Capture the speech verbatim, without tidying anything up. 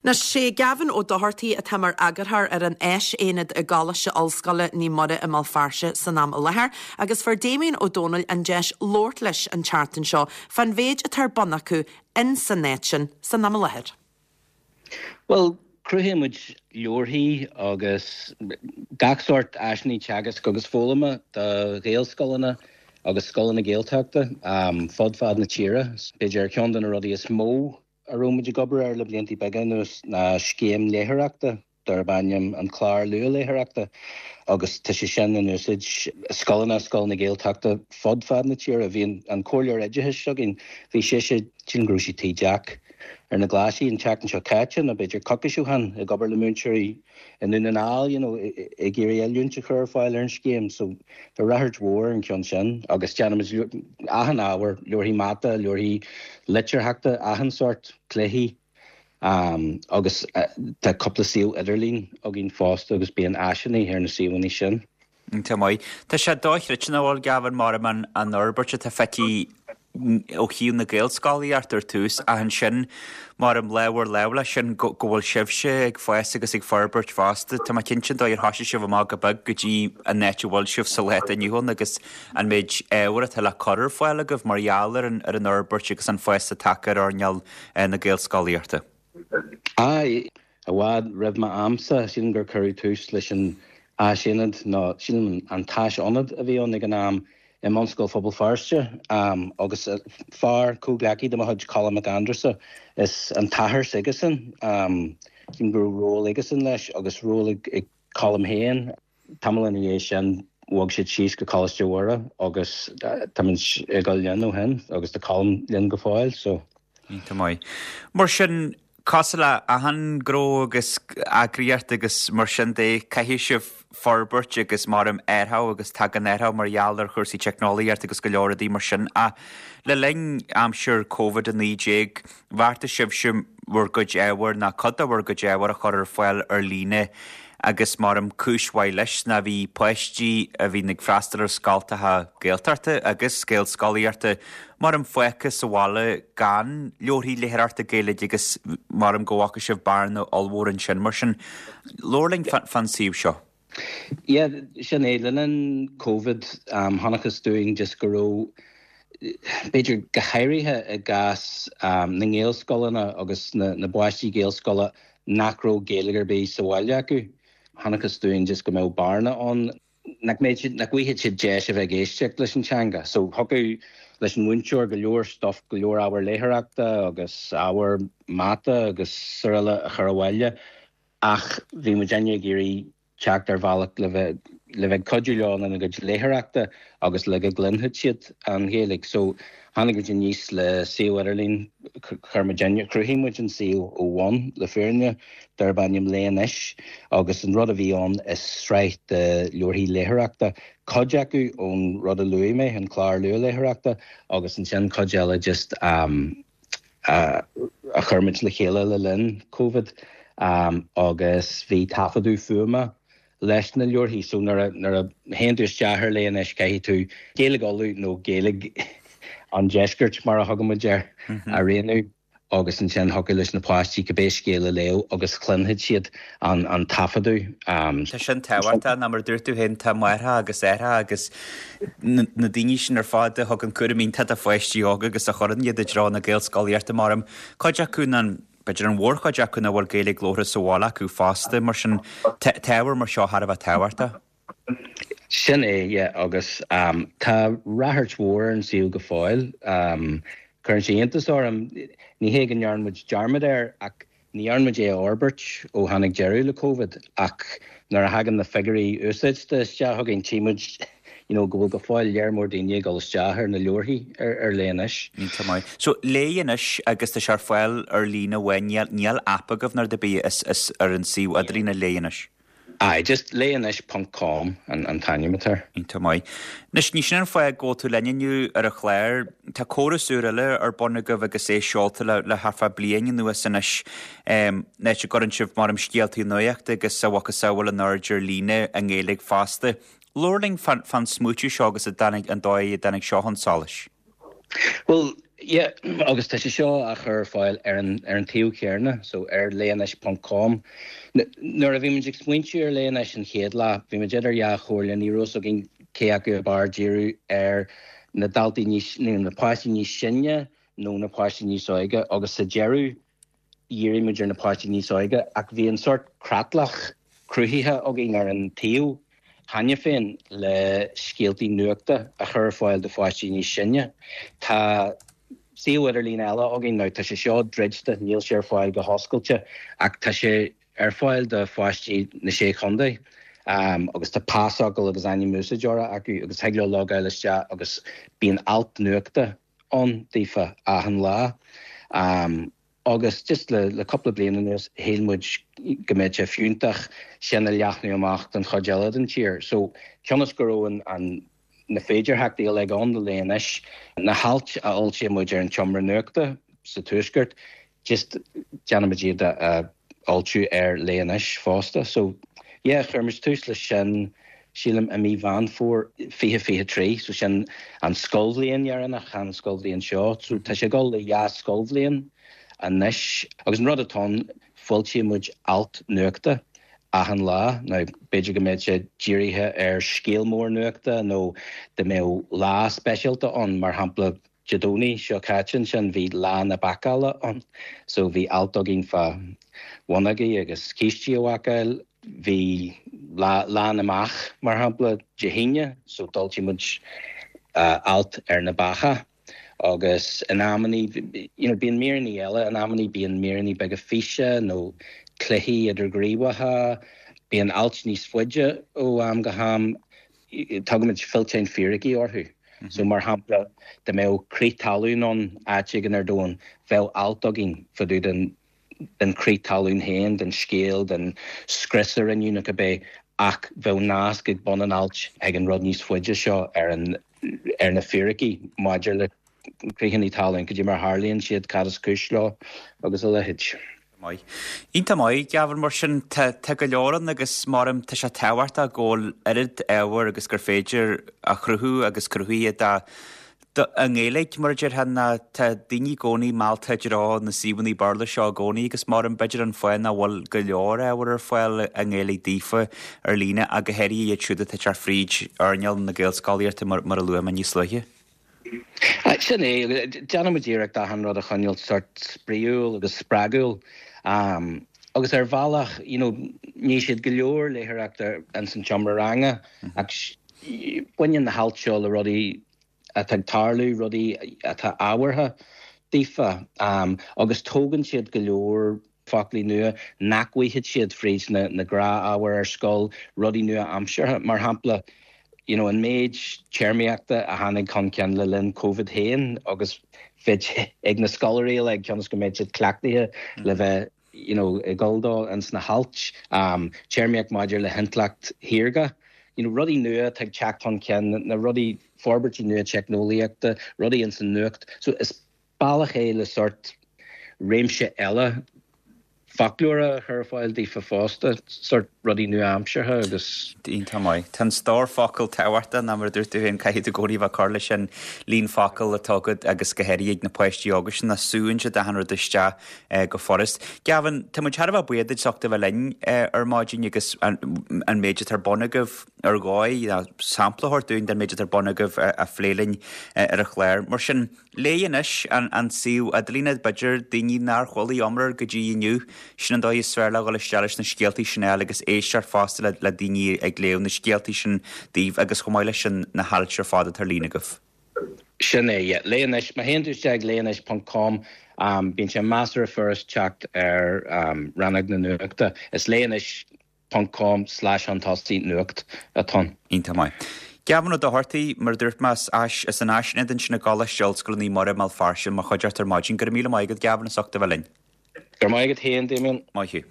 Anois sé Gavin Ó Dochartaigh atá mar eagarthóir ar an Áisaonad i gColáiste Ollscoile Naomh Muire i mBéal Feirste san am i láthair, agus fuair Damien Ó Dónaill an deis labhairt leis an tseachtain seo fán mhéid atá ar bun acu in san áit sin san am i láthair. Well, cruthaíonn muid leabharthaí agus gach sórt áiseanna teagaisc agus foghlama do Ghaelscoileanna agus scoileanna Gaeltachta um, fud fad na tíre. B'fhéidir ceann de na rudaí is mó a raibh muid ag obair ar le blianta beaga anuas ná scéim léitheoireachta darb ainm an clár luathléitheoireachta agus tá sé sin in úsáid scoileanna scoileanna Gaeltachta fud fad na tíre bhí an comhairleoir oideachais againn bhí sé sé sin go raibh sí Tigh Jack ar na Glaisí an tseachtain seo caite nó b'fhéidir coicís ó shin ag obair le múinteoirí i nDún na nGall you know, ag iarraidh oiliúint a chur ar fáil ar an scéim so tá ráchairt mhór an ceann sin agus déanaimid achan ábhar leabharthaí mata leabharthaí litearthachta achan sórt cluichí um, agus uh, tá cúpla suíomh idirlín againn fosta agus bíonn áiseanna ar na suíomhanna sin. Tá maith. Tá sé dochreidte nach bhfuil Gavin mar an an fhorbairt atá feicthe ó thaobh na Gaelscolaíochta ar tús ach ansin mar am leabhar leabh sin go bhfuil sibhse ag fás agus ag forbairt fosta Tá má cinnte dó ar thosaigh sibh amach go beag go dtí an áit a bhfuil sibh sa lá inniu agus an méid ábhar atá le cur ar fáil agaibh mar gheall ar an ar an fhorbairt agus an fás atá ar earnáil na Gaelscolaíochta. Ai i bhfad roimh m'amsa sin gur cuireadh tús leis an áisaonad nó sin an t-áisaonad a bhí ann ag an am i mBunscoil Phobal Feirste um, agus fear comhghleacaí de mo chuid Colm Mac Aindreasa is an t-athair s'aigesan um, sin go raibh ról aigesan leis agus ról ag, ag Colm féin tamall ina dhiaidh sin bhog siad síos go Coláiste Mhuire agus tá ag dul linn ó shin agus tá Colm linn go fóill so. Tá maith. Mar sin cosúil le achan ghnó agus eagraíocht agus mar sin de caithfidh sibh forbairt agus mar am athrú agus tagann athrú mar gheall ar chúrsaí teicneolaíocht agus go leor rudaí mar sin a le linn aimsir Covid a naoi déag bheartaigh sibhse bhur gcuid ábhair ná cuid de bhur gcuid ábhair a chur ar fáil ar líne agus mar am cúis mhaith leis ná bhí páistí a bhí ag freastal ar scoltacha Gaeltachta agus Gaelscolaíochta mar am fágtha sa bhaile gan leabharthaí léitheoireachta Gaeilge agus mar am go bhfaca sibh bearna ollmhór ansin mar sin labhair linn fán suíomh seo. Yeah, sin é le linn COVID um, chonacthas dúinn just go raibh b'fhéidir go háirithe i gcás um, na nGaelscoileanna agus na, na bpáistí Gaelscoile nach raibh Gaeilge ar bith sa bhaile acu. Chonacthas dúinn just go mbeadh bearna ann nach méid nach bhfaighidh siad deis a bheith ag éisteacht leis an teanga. So thiocfadh leis an múinteoir go leor stuff go leor ábhar léitheoireachta agus ábhar mata agus araile a chur abhaile ach bhí muid ag iarraidh teacht ar bhealach le bheith le bheith cuidiú leo ina gcuid léitheoireachta agus le go gcluinfeadh siad an Ghaeilge. So tháinig muid aníos le suíomh idirlín chuir muid chruthaigh muid an suíomh ó bhun le fírinne darb ainm Léigh Anois agus an rud a bhí ann is sraith de leabharthaí léitheoireachta cuid acu ón rud a luaigh mé an clár luathléitheoireachta agus ansin cuid eile just um, uh, a chuir muid le chéile le linn COVID um, agus bhí taifeadadh fuaime leis na leabharthaí so nuair nuair a théann tú isteach ar Léigh Anois caithfidh tú Gaeilge Uladh nó Gaeilge an deiscirt mar a thugann muid air a roghnú agus ansin thiocfadh leis na páistí cibé scéal a léamh agus chluinfeadh siad an an taifeadadh. Um, Tá sin tábhachtach ná mar dúirt tú féin tá máithreacha agus aithreacha agus na daoine sin ar fad a thugann cúram iontach do pháistí óga agus a chuireann iad i dtreo na Gaelscolaíochta mar am cuid acu an b'fhéidir an mhórchuid acu nach bhfuil Gaeilge labhartha sa bhaile acu fosta mar sin ábhar mar seo thar a bheith tábhachtach. Sin é yeah, agus um, tá ráchairt mhór an suíomh go fóill. Um, Cuireann sé iontas orm ní hé go ndearna muid dearmad air ach ní dhearna muid é a fhorbairt ó tháinig deireadh le COVID ach nuair a thagann na figiúirí úsáide isteach chugainn tchí muid you know, go bhfuil go fóill léir mór daoine ag dul isteach ar na leabharthaí ar, ar Léigh Anois. Tá maith. So Léigh Anois agus tá sé ar fáil ar líne amháin níl níl app agaibh nó rud ar bith is, is ar an suíomh idirlín Léigh Anois. Aye, just léigheanois.com an, an t-ainm atá. Tá maith. Anois ní sin an fáth go bhfuil tú linn inniu ar an chlár, Tá córas úr eile ar bun agaibh agus é seolta le, le thart fá bliain anuas anois um, áit a gcuireann sibh mar am scéaltaí nuachta agus a mhacasamhail in airde ar líne i nGaeilge fosta. Labhair linn fán, fán smaoitiú seo agus a dtáinig an dóigh a dtáinig seo chun solais. Well, Yeah, agus tá sé seo á chur ar fáil ar an ar an tsuíomh céanna, so ar léigh anois ponc com. Nuair a bhí muid ag smaointiú ar Léigh Anois an chéad lá, bhí muid idir dhá chomhairle, ní raibh a fhios againn cé acu ab fhearr díriú ar na daltaí níos, nó na páistí níos sine nó na páistí níos óige agus sa deireadh dhírigh muid ar na páistí níos óige ach bhí an sórt creatlach cruthaithe againn ar an tsuíomh cheana féin le scéaltaí nuachta a chur ar fáil do pháistí níos sine. Tá suíomh idirlín eile againn now tá sé seo druidte, níl sé ar fáil go hoscailte ach tá sé ar fáil do pháistí na Sé Chontae um, agus tá pasfhocal agus ainm úsáideora acu agus thig leo logáil isteach agus bíonn alt nuachta ann daofa achan lá. Um, agus just le le cúpla bliain anuas shíl muid go mbeadh sé fiúntach sin a leathnú amach don chuid eile den tír. So cionn is go raibh an, an na féidearthachtaí uilig ann do Léigh Anois, na hailt a fhoilsíonn muid ar an tseomra nuachta sa tuaisceart, just déanaimid iad a fhoilsiú ar Léigh Anois fosta. So yeah, chuir muid tús leis sin sílim i mí Mheán Fómhair fiche fiche trí, so sin an scoilbhliain dheireanach, an scoilbhliain seo, so tá sé ag dul le dhá scoilbhliain anois. Agus an rud atá ann, foilsíonn muid alt nuachta achan lá. Now b'fhéidir go mbeadh sé dírithe ar scéal mór nuachta nó dá mbeadh lá speisialta ann, mar shampla Dé Domhnaigh seo caite ansin bhí lá na bácála ann so bhí alt againn fá bhonnógaí agus cístí a bhácáil. Bhí lá, lá na mbeach mar shampla Dé hAoine so d'fhoilsigh muid alt ar na beacha. Agus in amannaí, you know, bíonn míreanna eile, in amannaí bíonn míreanna beaga físe nó cluichí idirghníomhacha, bíonn ailt níos faide ó am go ham, tugaimid fillteáin fíricí orthu. So mar shampla, dá mbeadh crith talún ann áit éigin ar domhan, bheadh alt againn fá dtaobh den den crith talún féin, den scéal, den scrios a rinneadh nó cibé, ach bheadh nasc ag bun an ailt ag an rud níos faide seo ar an ar na fíricí maidir le critheanna talún, cad é mar a tharlaíonn siad, cad is cúis leo agus a leithéid. Maith. Iontach maith, Gavin, mar sin tá tá go leor ann agus maram tá sé tábhachtach go bhfuil oiread ábhair agus gur féidir a chruthú agus cruthaithe do do i nGaeilge mar a déarfá ná tá daoine i gcónaí meallta i dtreo na suíomhanna Béarla seo i gcónaí agus maram b'fhéidir an fáth nach bhfuil go leor ábhair ar fáil i nGaeilge daofa ar líne ach go háirithe iad siúd atá ag teacht fríd earnáil na Gaelscolaíochta mar mar a luaigh mé níos luaithe. Sin é, déanaimid iarracht achan rud a choinneáil sort spraíúil agus spreagúil. Um, agus ar bhealach, you know, ní siad go leor léitheoireachta ins an tseomra ranga ach baineann na hailt seo le rudaí atá ag tarlú, rudaí atá ábhartha daofa, um, agus tógann siad go leor foclaí nua nach bhfaighidh siad fríd na, na gnáthábhair ar scoil, rudaí nua-aimseartha. Mar shampla, you know, an méid téarmaíochta a tháinig chun cinn le linn Covid féin agus bheith ag na scoláirí le cionn is go mbeidh siad cleachtaithe le bheith you know, ag dul dó ins na hailt, um, téarmaíocht maidir le hintleacht shaorga. You know, rudaí nua atá ag teacht chun cinn, na rudaí forbairtí nua teicneolaíochta, rudaí ins an nuacht. So is bealach é le sort réimse eile foclóra a chur ar fáil daofa fosta, sort rudaí nua-aimseartha agus. Iontach maith. Tá an stór focal tábhachtach ná mar a dúirt tú féin caithfidh tú i gcónaí bheith ag cur leis an líon focal atá agat agus go háirithe ag na páistí óga sin a súann siad achan rud isteach go furast. Gavin, tá muid thar a bheith buíoch duit as ucht a bheith linn ar maidin agus an an méid atá ar bun agaibh ar dhóigh, sampla a thabhairt dúinn den méid atá ar bun agaibh a phlé linn ar an chlár. Mar sin, léigh anois an an suíomh idirlín b'fhéidir daoine nár chuala iomrá go dtí inniu, sin an dóigh is fearr le dhul isteach leis na scéaltaí sin a fháil agus éisteacht fosta le le daoine ag léamh na scéaltaí sin daoibh agus chomh maith leis sin na hailt ar fad atá ar líne agaibh. Sin é, yeah. Léigh anois, má théann tú isteach ag léigh anois ponc com, um, bíonn sé measartha furast teacht ar um, rannóg na nuachta. Is léigh anois ponc com slash chun tosaigh nuacht atá ann. Iontach maith. Gavin Ó Dochartaigh, mar a dúirt mé, as as an Áisaonad ansin i gColáiste Ollscoile Naomh Muire i mBéal Feirste, mar chuideachta ar maidin. Go raibh míle maith agat, Gavin, as ucht a bheith linn. Go raibh maith agat féin, Damien. Maith thú.